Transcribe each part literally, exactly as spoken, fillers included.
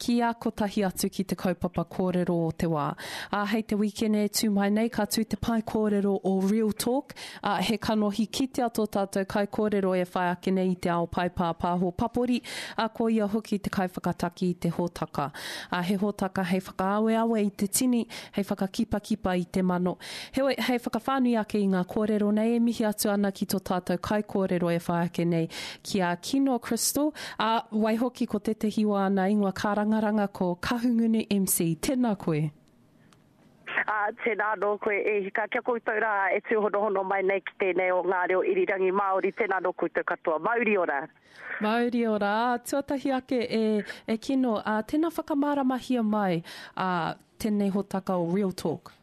Kia kotahi atu ki te kaupapa kōrero o te wā. Ā, hei te wīkene e tū mai nei ka tū te pae kōrero o Real Talk, ā, he kanohi kitea tō tātou kaikōrero e whai ake nei i te ao pae pāpāho papori, ā, ko ia hoki te kaiwhakataki i te hōtaka. Ā, he hōtaka hei whakaaweawe i te tini, hei whakakipakipa i te mano. Heoi, hei whakawhānui ake i ngā kōrero nei, e mihi atu ana ki tō tātou kaikōrero e whai ake nei, ki a Kino Crystal, ā, waihoki ko tētehi o āna ingoa kārangaranga ko Kahungunu M C. Tēnā koe. Ā, tēnā anō koe e hika, kia koutou rā e tūhonohono mai nei ki tēnei o ngā reo irirangi Māori, tēnā anō koutou katoa. Mauri ora! Mauri ora! Ā, tuatahi ake e, e Kino, ā, tēnā whakamāramahia mai, ā, tēnei hōtaka o Real Talk.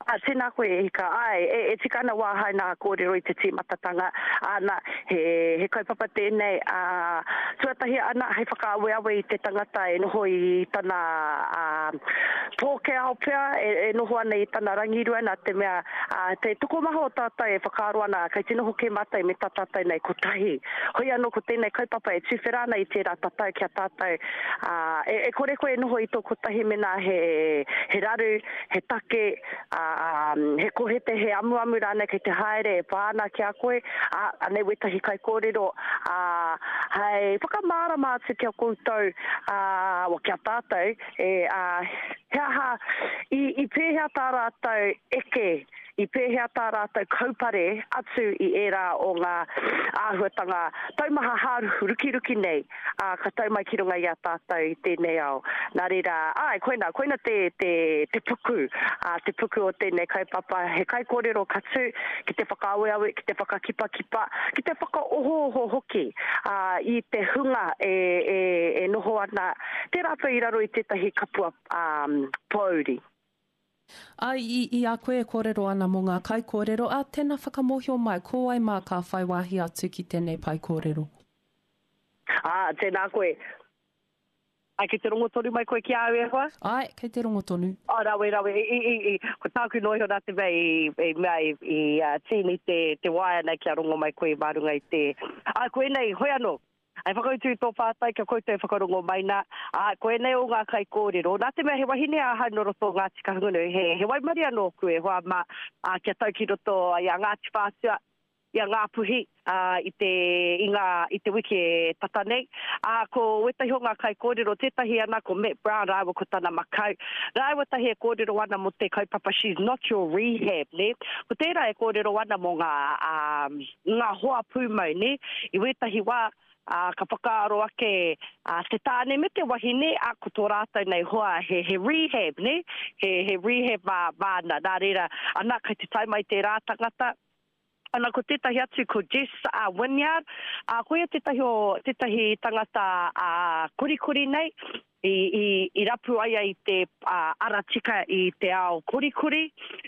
Ā, tēnā koe e hika. Āe, e, e tika ana wā hai nā kōrero i te tīmatatanga, āna, he, he kaupapa tēnei, ā, tuatahi ana hei whakaaweawe i te tangata e noho i tana, ā, pōkēao pea, e, e noho ana i tana rangirua, nā te mea, ā, te tokomaha o tātou e whakaaro ana, kei te noho kē mātou me tā tātou nei kotahi. Hoi anō ko tēnei kaupapa e tuwhera ana i tērā tatau ki a tātou, ā, e, e kore koe e noho i tō kotahi mēnā he, he raru, he take, ā, he kohete, he amuamu rānei kei te haere e pā ana ki a koe, ā, anei wētahi kaikōrero, ā, hei whakamārama atu ki a koutou, ā, wa, ki a tātou, e, ā, he aha, i, i pēhea tā rātou eke, i pēhea tā rātou kaupare atu i ērā o ngā āhuatanga taumaha hārukiruki nei, ā, ka tau mai ki runga i a tātou i tēnei ao. Nā reira, āe, koina, koina te, te, te puku, ā, te puku o tēnei kaupapa, he kaikōrero ka tū ki te whakaaweawe, ki te whakakipakipa, ki te whakaohooho hoki, ā, i te hunga e, e, e noho ana, tērā pea i raro i tētahi kapua, ā, pōuri. Ā, i, i a koe e kōrero ana mō ngā kaikōrero, ā, tēnā whakamōhio mai, ko wai mā ka whai wāhi atu ki tēnei pae kōrero? Ā, tēnā koe. Ā, kei te rongo tonu mai koe ki a au e hoa? Āe, kei te rongo tonu. Ā, rawe, rawe. I, i, i, ko tāku noa iho nā te mea i, i mea i, i uh, tīni te, te waea nei kia rongo mai koe mā runga i te... Ā, koinei, hoi anō, hei whakautu i tō pātai kia koutou e whakarongo mai nā, ā, koinei o ngā kaikōrero. Nā te mea he wahine ahau nō roto o Ngāti Kahungunu, he, he waimarie nōku e hoa mā, ā, kia tau ki roto i a Ngāti Whātua, i a Ngāpuhi, ā, i te, i ngā, i te wiki e tata nei. Ā, ko wētahi o ngā kaikōrero, tētahi ana ko Matt Brown rāua ko tana makau. Rāua tahi e kōrero ana mō te kaupapa She's Not Your Rehab, nē. Ko tērā e kōrero ana mō ngā, ā, ngā hoa pūmau, nē. I wētahi wā, ā, ka whakaaro ake, ā, te tāne me te wahine, ā, ko tō rātou nei hoa he, he rehab, nē, he, he rehab mā, māna. Nā reira, ana, kei te tae mai tērā tangata, Ana ko tētahi atu ko Jess uh, Wynyard, uh, ko ia tētahi o tētahi tangata uh, korikori nei, i, i, i rapu ai i te uh, ara tika i te ao korikori.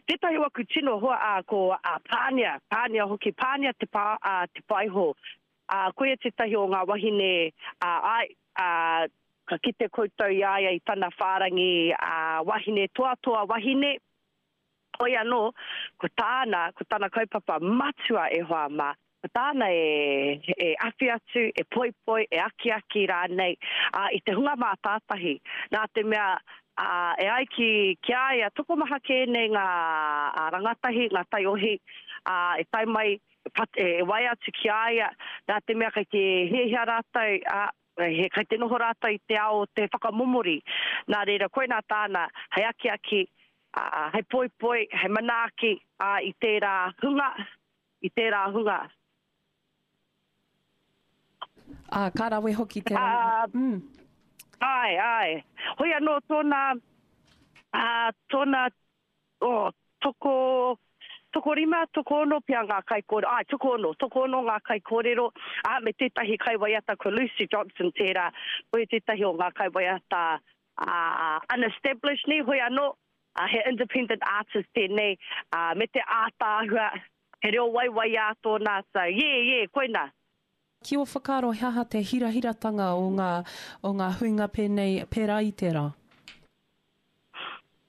Tētahi o aku tino hoa uh, ko uh, Pānia, Pānia hoki, Pānia te, pā, uh, te paiho. Uh, ko ia tētahi o ngā wahine uh, ai, uh, ka kite koutou i a ia i tana whārangi uh, wahine toatoa wahine. Hoi anō, ko tāna, ko tana kaupapa matua e hoa mā, ko tāna e, e awhi atu, e poipoi, e akiaki rānei, ā, i te hunga mātātahi. Nā te mea, ā, e ai ki, ki a ia, tokomaha kē nei ngā ā, rangatahi, ngā taiohi, ā, e tae mai, e, e waea atu ki a ia, nā te mea kei te hiahia rātou, ā, he kei te noho rātou i te ao o te whakamomori. Nā reira, koinā tāna, hei akiaki, ā, hei poipoi, hei manaaki, ā, i tērā hunga, i tērā hunga. Ā, ka rawe hoki te rangi. Ā, mm. Āe, āe. Hoi anō tōna, ā, tōna, oh, toko, tokorima, tokoono pea ngā kaikōrero, āe, tokoono, tokoono ngā kaikōrero, ā, me tētahi kaiwaiata ko Lucy Johnson tērā, koia tētahi o ngā kaiwaiata ā, unestablished nei, hoi anō, ā, he independent artist tēnei, ā, me te ātaahua, he reo waiwaiā tōna, so yeah, yeah, koina. Ki ō whakaaro he aha te hirahiratanga o ngā, o ngā huinga pēnei, pērā i tērā?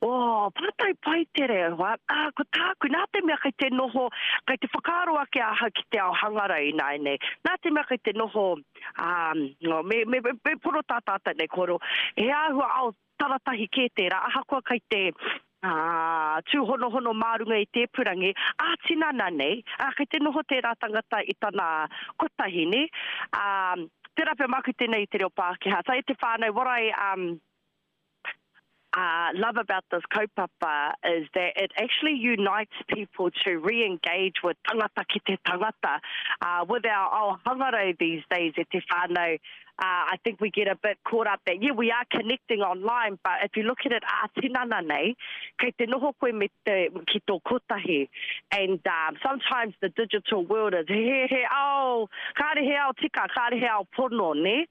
Oh, pātai pai te reo, hoa. Ah, ko tāku, nā te mea kei te noho, kei te whakaaro ake ahau ki te ao hangarau ināianei. Nā te mea kei te noho, um, me, me, me, me pono tā tātou nei kōrero, he āhua ao taratahi kē tērā, ahakoa kei te uh, tūhonohono mā runga i te ipurangi, ā-tinana nei, ā, kei te noho tērā tangata i tana kotahi, nē. Um, tērā pea māku tēnei i te reo Pākehā. So e te whānau, what I, um, uh, love about this kaupapa is that it actually unites people to re-engage with tangata ki te tangata. Uh, with our ao hangarau these days e te whānau, uh, I think we get a bit caught up that, yeah, we are connecting online, but if you look at it ā-tinana nei, kei te noho koe me te, ki tō kotahi. And um, sometimes the digital world is he, he ao, kāre he ao tika, kāre he ao pono, ne?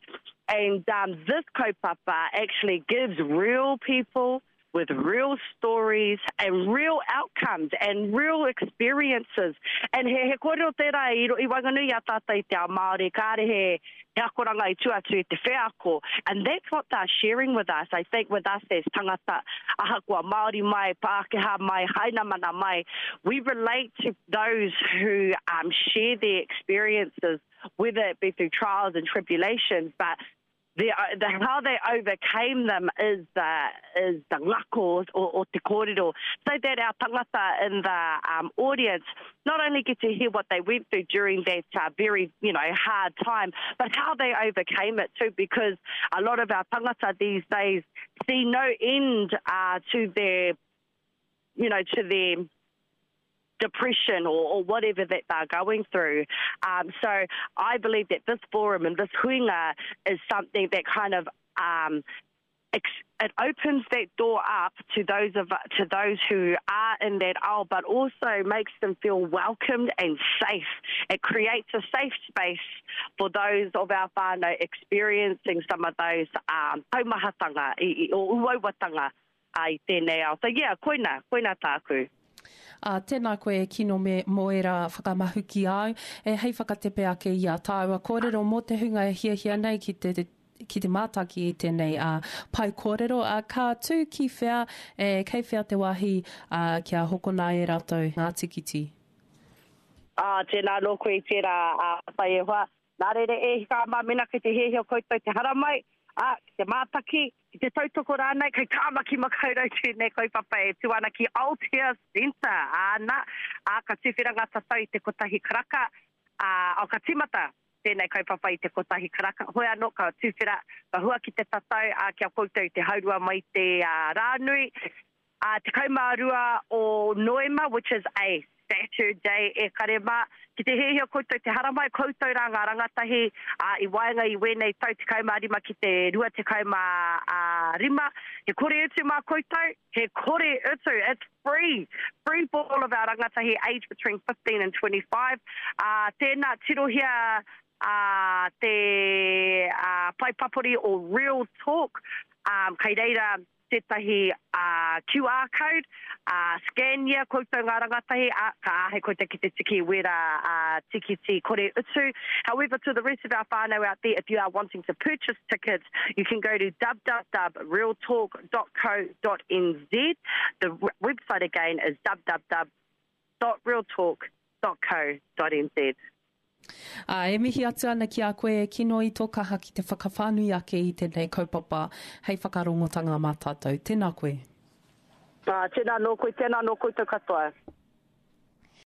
And um, this kaupapa actually gives real people with real stories and real outcomes and real experiences. And he, he kōrero tērā i, i waenganui i a tātou i te ao Māori, kāre he, he akoranga i tua atu i te wheako. And that's what they're sharing with us. I think with us as tangata, ahakoa Māori mai, Pākehā mai, Hainamana mai, we relate to those who um, share their experiences, whether it be through trials and tribulations, but the, the, how they overcame them is the, is the ngako o, o te kōrero. So that our tangata in the um, audience not only get to hear what they went through during that uh, very, you know, hard time, but how they overcame it too, because a lot of our tangata these days see no end uh, to their, you know, to their depression or, or whatever that they're going through. Um, so I believe that this forum and this huinga is something that kind of um, ex- it opens that door up to those of to those who are in that ao, but also makes them feel welcomed and safe. It creates a safe space for those of our whānau experiencing some of those um, taumahatanga i, i, o uauatanga i tēnei ao. So yeah, koina, koina tāku. Uh, tēnā koe e Kino me mō ērā whakamahuki āu, e hei whakatepe ake i a tāua kōrero mō te hunga e hiahia nei ki te, ki te mātaki i tēnei uh, pae kōrero. Uh, ka tū ki whea, e, kei whea te wāhi uh, kia hokona e rātou ngā tikiti? Ah, tēnā nō koe i tērā uh, pai e hoa. Nā reira e hika mā mena kei te hiahia koutou te haramai, ah, ki te mātaki, ki te tautoko rānei, kei Tāmaki Makaurau tēnei kaupapa e tū ana ki Aotea Centre. Āna, ā, ka tuwhera ngā tatau i te kotahi karaka, ā, o, ka tīmata tēnei kaupapa i te kotahi karaka. Hoi anō, ka tuwhera, ka hua ki te tatau, ā, kia koutou te haurua mai te uh, rānui. Uh, tekau mā rua o Noema, which is a Saturday e kare mā. Ki te hiahia koutou te haramai, koutou rā ngā rangatahi uh, i waenga i wēnei tau tekau mā rima ki te rua tekau mā uh, rima. He kore utu mā koutou, he kore utu, it's free. Free for all of our rangatahi aged between fifteen and twenty-five. Uh, tēnā, tirohia uh, te uh, pae papori o Real Talk. Um, kei reira tētahi uh, Q R code, uh, scania koutou ngā rangatahi, uh, ka āhei koutou ki te tiki wera uh, tikiti kore utu. However, to the rest of our whānau out there, if you are wanting to purchase tickets, you can go to w w w dot real talk dot co dot n z. The website again is w w w dot real talk dot co dot n z. Ā, e mihi atu ana ki a koe e Kino i tō kaha ki te whakawhānui ake i tēnei kaupapa hei whakarongotanga mā tātou. Tēnā koe. Ā, tēnā nō koe, tēnā nō koutou katoa.